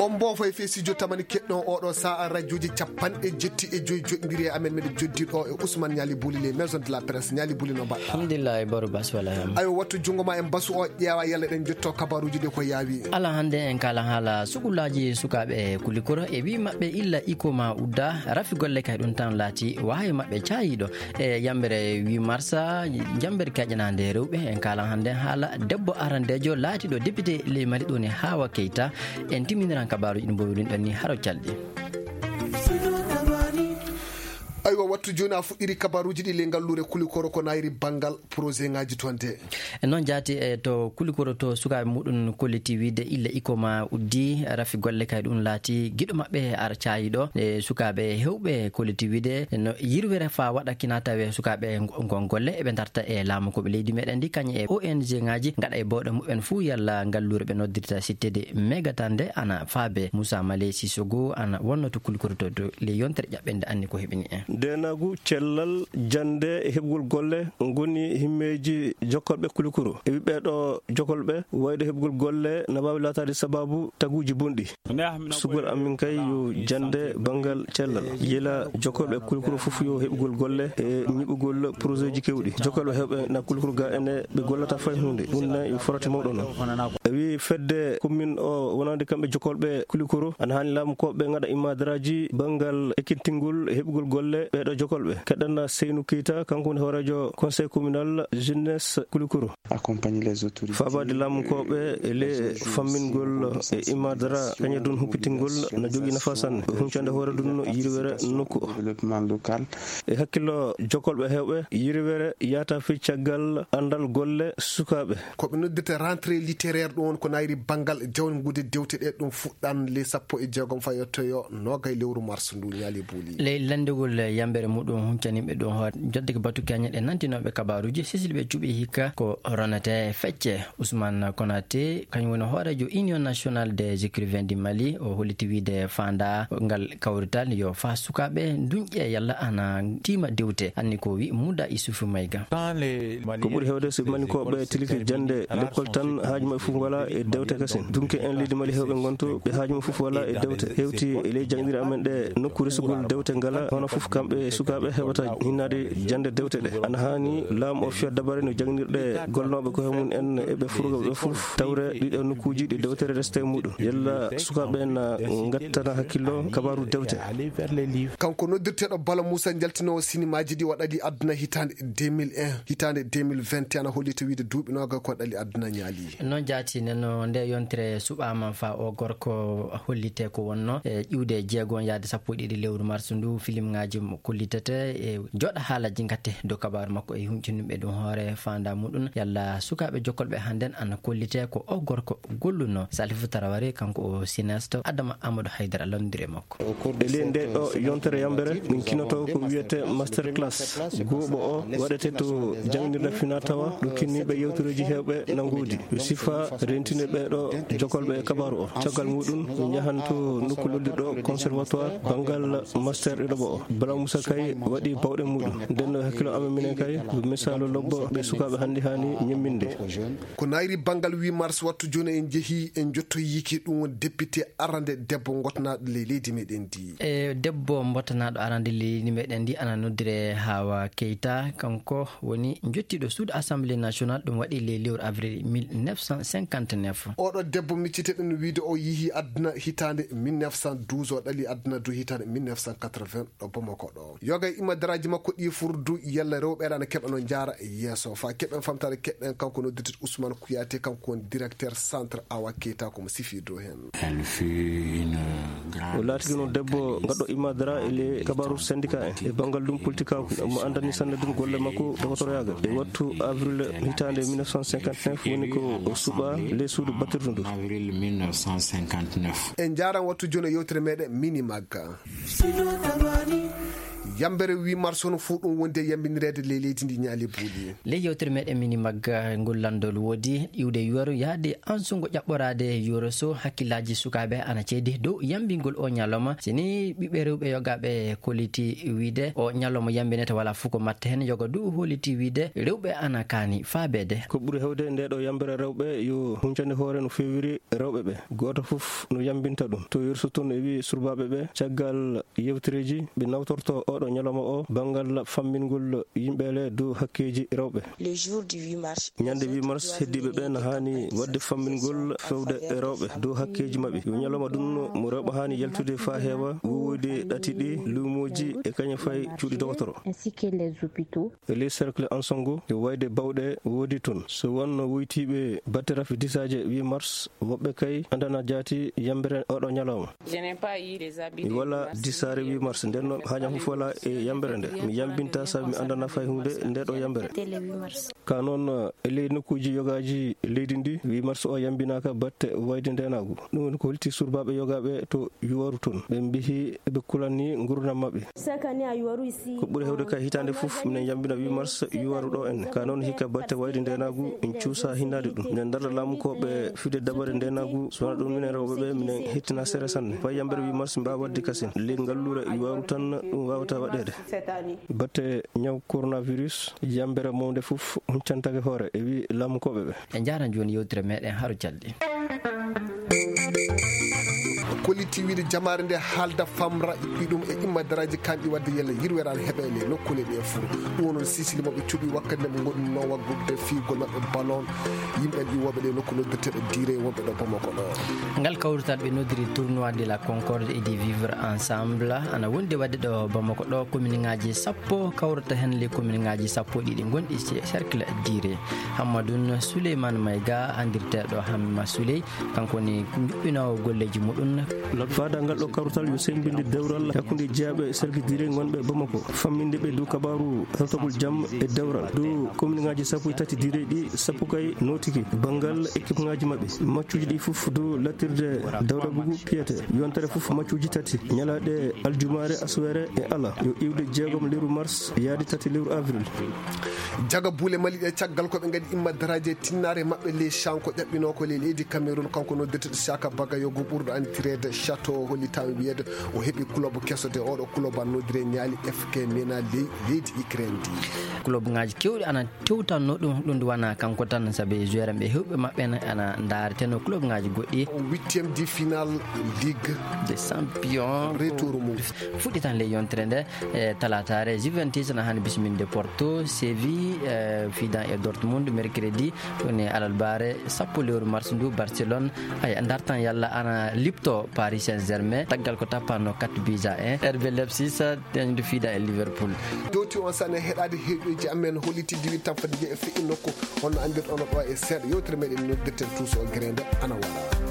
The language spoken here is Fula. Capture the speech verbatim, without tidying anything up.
On mboofo e fesijo tamani keɗɗon oɗo sa'a rajoji capanɗe jetti e joyi joɗɗiri e amen, meɗen joddi ɗo e Ousmane Niali Bouli, les maisons de la presse. Niali Bouli, no mbaɗɗa? Alhamdulillah, e Baro Bas wala hem. Ayo, wattu jungo ma en basu o, ƴeewa yalla ɗen jotto kabaruji ɗi ko yaawi. Ala hande en kala hala sukulaji sukaɓe Kulikoro e wi maɓɓe illa iko ma udda, rafi golle kay ɗum tan laati wahayi maɓɓe cayiɗo. E yambere huit mars, jambere kaƴanande rewɓe, en kala hande hala debbo arandejo laatiɗo député ley Mali ɗo ni Hawa Keita. En timminiran kabaruji ɗi mbowirin ɗon ni haro calɗi. Aywa, wattu joni a fuɗɗiri kabaruji ɗi ley ngallure Kulikoro ko nayri bangal projet ngaji toon de. E noon jaati e to Kulikoro to sukaɓe muɗum kolliti wiide illa iko ma uddi, rafi golle kay ɗum laati giɗo maɓɓe ar cayiɗo. E sukaɓe hewɓe kolliti wiide no yirwere fa waɗa kina tawe sukaɓe ngon golle eɓe darta e laamu ko ɓe leydi meɗen ndi kañe e O N G ngaji gaɗa e bawɗe muɓɓen fuu yalla ngallure ɓe noddirta sittede megatande ana faabe. Moussa Malé Sissoko ana wonno to Kulikoro to, to le yontere ƴaɓɓende anni ko heɓini en. Ndenagu, cellal, jannde e heɓgol golle ngoni himmeeji jokkorɓe Kulikoro. E ɓiɓɓe ɗo jokkolɓe wayde heɓgol golle na waawi laataade sababu taguuji bonɗi. Sugol amin kay yo jannde banngal cellal. Yila jokkorɓe Kulikoro fof yo heɓgol golle e ñiɓugol projet ji kewɗi. Jokkorɓe heewɓe na Kulikoro ga ene ɓe gollata fay huunde. Ɗum ne yo farati mawɗo noon. E wi fedde commune o wonande kamɓe jokkolɓe Kulikoro, ana haani laamu ko ɓe ngaɗa imadaraaji banngal ekkintingol e heɓugol golle ɓeeɗo jokkolɓe. Keɗen Seynou Keita, kanko woni hooreejo conseil communal jeunesse Kulikoro. Accompagner les autorités. Faabaade laamu ko ɓe e le fammingol e imadara kañe ɗum huppitingol na jogii nafa sanne. Huncande hoore ɗum no yirwere nokku o. Développement local. E hakkillo jokkolɓe heewɓe, yirwere yahata fii caggal anndal golle sukaaɓe. Ko ɓe noddirta rentrée littéraire ɗum woni ko nayri banngal jawngude dewte ɗe ɗum fuɗɗan le sappo e jeegom fa yettoyo noogay lewru mars ndu, Niali Bouli. Ley lanndegol yambere muɗum huncaniɓe ɗum hoore jodde ko batu keñe ɗe nantinooɓe kabaruji sisili ɓe cuɓi hikka ko ronete fecce. Ousmane Konaté kañum woni hooreejo Union Nationale des Écrivains du Mali, o holliti wiide faanda ngal kawrital yo fa sukaaɓe dunƴe yalla ana tiima dewte. Anni ko wi Mouda Issoufou Maïga. Ko ɓuri heewde so manikooɓe tilike jannde lekkol tan, haaju maɓɓe fof wala e dewte kasin. Dunke en leydi Mali heewɓe ngonto ɓe haaju mum fof wala e dewte. Hewti e ley jaŋɗiire amen ɗe nokku resugol dewte ngala, hono fof kamɓe e sukaaɓe heɓata hinnaade jannde dewte ɗe. Ana haani laamu o fiya dabare no jaŋnirɗe golnooɓe ko he mum en e ɓe furgo ɓe fof tawre ɗiɗo nokkuuji ɗi dewtere reste e muɗum. Yalla sukaaɓe na ngattana hakkillo kabaru dewte. Kanko noddirteeɗo Bala Moussa njaltinoowo sinimaaji ɗi waɗali aduna hitaande deux mille un, hitaande deux mille vingt et un ana holli to wiide duuɓi nooga ko ɗali aduna ñaali. Noon jaati neno nde yontere suɓaama fa o gorko hollite ko wonno e ƴiwde jeegon yaade sappo e ɗiɗi lewru mars ndu filim ngaji mo kollitete e joɗa haalaji ngatte dow kabaru makko e huncinumɓe ɗum hoore fanda muɗum yalla sukaaɓe jokkolɓe hannden ana kollite ko o gorko golluno. Salifu Taraware kanko o cinéaste, Adama Amadou Haydara londire makko. E ley nde ɗo yontere yambere, min kinoto ko wiyete master class. Gooɓo o waɗete to janngirde fina tawa ɗum kinniiɓe yewtoreeji heewɓe na ngoodi. Sifa rentine ɓeeɗo jokolɓe e kabaru o. Caggal muɗum, min njahan to nokku lollirɗo conservatoire banngal master ɗiɗaɓo o. Bala Moussa kay waɗi bawɗe muɗum. Nden no hakkilo amen minen kay, misaalu lobbo ɓe sukaaɓe hannde haani ñemminde. Ko nayri banngal huit mars wattu jooni en njehi en njottoyiki ɗum woni député arande debbo ngotnaaɗo ley leydi meɗen ndi. E debbo mbottanaɗo arande leydi meɗen ndi ana noddire Hawa Keita, kanko woni jottiɗo suudu Assemblée nationale, ɗum waɗi ley lewru avril mille neuf cent cinquante-neuf. Oɗo debbo micciteɗen wiide o yihi aduna hitande mille neuf cent douze, o ɗali aduna du hitande mille neuf cent quatre-vingts ɗo Bamako ɗo. Yoga e imadaraaji makko ɗi furdu yalla rewɓe aɗa keɓa no jaara yeeso. Fa keɓen famtare keɓen kanko noddirteɗo Ousmane Kouyaté, kanko woni directeur centre Awa Keita, ko mo sifi dow hen. O laatigi noon debbo gaɗɗo imadara e le kabaru syndicat en e banngal ɗum politique, mo anndani sanne ɗum golle makko dogotoroyagal. E wattu avril hitande mille neuf cent cinquante-neuf woni ko o suɓa le suudu battirdu ndu. En njaran wattu jooni e yewtere meɗen Mini Magga. Yambere huit mars hono fuu ɗum wondi e yambinireede ley leydi ndi ñaali buuɗi. Ley yewtere meɗen mini magga ngol lanndol woodi iwde yuwaru yahde ansungo ƴaɓɓoraade yuwaru so hakkillaaji sukaaɓe ana ceedi dow yambingol o ñalawma. Si ni ɓiɓɓe rewɓe yogaaɓe koliti wiide o ñalawma yambinete wala fuu ko matte heen yoga du holiti wiide rewɓe ana kaani faabeede. Ko ɓuri hewde nde ɗo yambere rewɓe yo huncande hoore no fewiri rewɓe ɓe. Gooto fof no yambinta ɗum. To yerso toon e wi surbaaɓe ɓe caggal yewtereeji ɓe nawtorto oɗo ñalawma o banngal fammingol yimɓe le dow hakkeeji rewɓe. Le jour du huit mars, ñande huit mars heddiiɓe ɓe no haani waɗde fammingol fewde e rewɓe dow hakkeeji maɓɓe. Yo ñalawma ɗum mo rewɓe haani yaltude faa heewa wowoyde ɗati ɗi luumooji e kañum fay cuuɗi dogotoro. Ainsi que les hôpitaux. E les cercles ansango e wayde bawɗe woodi toon. So wonno woytiiɓe batte rafi disaaje huit mars, woɓɓe kay andana jaati yambere oɗo ñalawma. Mi wala disaare huit mars, nden no hañam fof wala e yambere nde. Mi yambinta sabi mi andana fay hunde nde ɗo yambere. Ka noon, e ley nokkuuji yogaaji leydi ndi, huit mars o yambinaaka batte wayde ndeenaagu. Ɗum woni ko holti surbaaɓe yogaaɓe to yuwaru toon. Ɓe mbihi ɓe kulanni ngurdam maɓɓe. Chaque année à Yuwaru ici. Ko ɓuri hewde ka hitaande fof, minen yambina huit mars yuwaru ɗo en. Ka noon hikka batte wayde ndeenaagu, en cuusa hinnaade ɗum. Nden darda laamu ko ɓe fide dabare ndeenaagu, so wona ɗum minen rewɓe ɓe, minen hettina sere sanne. Fay yambere huit mars mbaawa waɗde kasen. Ley ngalluure yuwaru tan ɗum waawata waɗeede. Batte ñaw coronavirus, yambere mawnde fof huncantake hoore, e wi laamu ko ɓe ɓe. En njaaran jooni yewtere meɗen haro calɗi. Kolliti wiide jamaare nde haalda famra ɗum e imma daraaji kanɗi wadde yalla yirweraade heɓa e le nokkuule ɗe fof. Ɗum woni sisili mo ɓe cuɓi wakkati nde ɓe ngonno waggude fiyugol maɓɓe ballon. Yimɓe iwooɓe ɗe nokku noddirteɗo diire wonɓe ɗo Bamako ɗo. Ngal kawrital ɓe noddiri tournoi de la concorde et du vivre ensemble ana wondi wadde ɗo Bamako ɗo. Commune ngaji sappo kawrata heen le commune ngaji sappo ɗiɗi gonɗi ce- cercle diire. Hammadoun Souleymane Mayga andirteɗo Hamma Souley, kanko woni juɓɓinoowo golleeji muɗum. Faada ngal ɗo kawrital yo semmbinde dewral hakkunde jeyaaɓe e sarki diire ngonɓe Bamako, famminde ɓe dow kabaaru hewtagol jam e dewral dow commune ngaji sappo e tati diire ɗi sappo kay nootiki banngal équipe ngaji maɓɓe. Maccuuji ɗi fof dow lattirde dawdagugu piyete, yontere fof maccuuji tati, ñalaaɗe aljumaare, aswere e ala, yo iwde jeegom lewru mars yaade tati lewru avril. Jaga buule Mali ɗe caggal ko ɓe ngadi imma daraaje tinnaare maɓɓe ley Shanko ƴaɓɓinoo ko ley leydi Cameroun, kanko noddirteɗo Shaka Bagayogo ɓurɗo anndireede Chateau, hollitaama wiyeede o heɓi club keso de oɗo club an noddire ñaali F K Mena ley leydi Ukraine ndi. Club ngaji kewɗi ana tewtanno ɗum, ɗum ndu wona kanko tan, sabi joueur ɓe hewɓe maɓɓe ne ana ndareteno club ngaji goɗɗi. Huitième de finale Ligue des Champions. Retour mum. Fuɗɗitan ley yontere nde. E talataare, Juventus na hani bisminde Porto, Séville, eh, fidan e Dortmund, mercredi, woni alarbaare, sappo lewru mars ndu, Barcelone, ay, dartan yalla ana lipto Paris Saint-Germain, taggal ko tappanno quatre buts à un, R B Leipzig, dañde fiida e Liverpool. Dowti on sane heɗaade heɗoji amen, holliti diwi tan fadde e feƴƴi nokku, on no anndirɗon ɗo e seeɗa, yewtere meɗen noddirten Tuuso Grende, ana wara.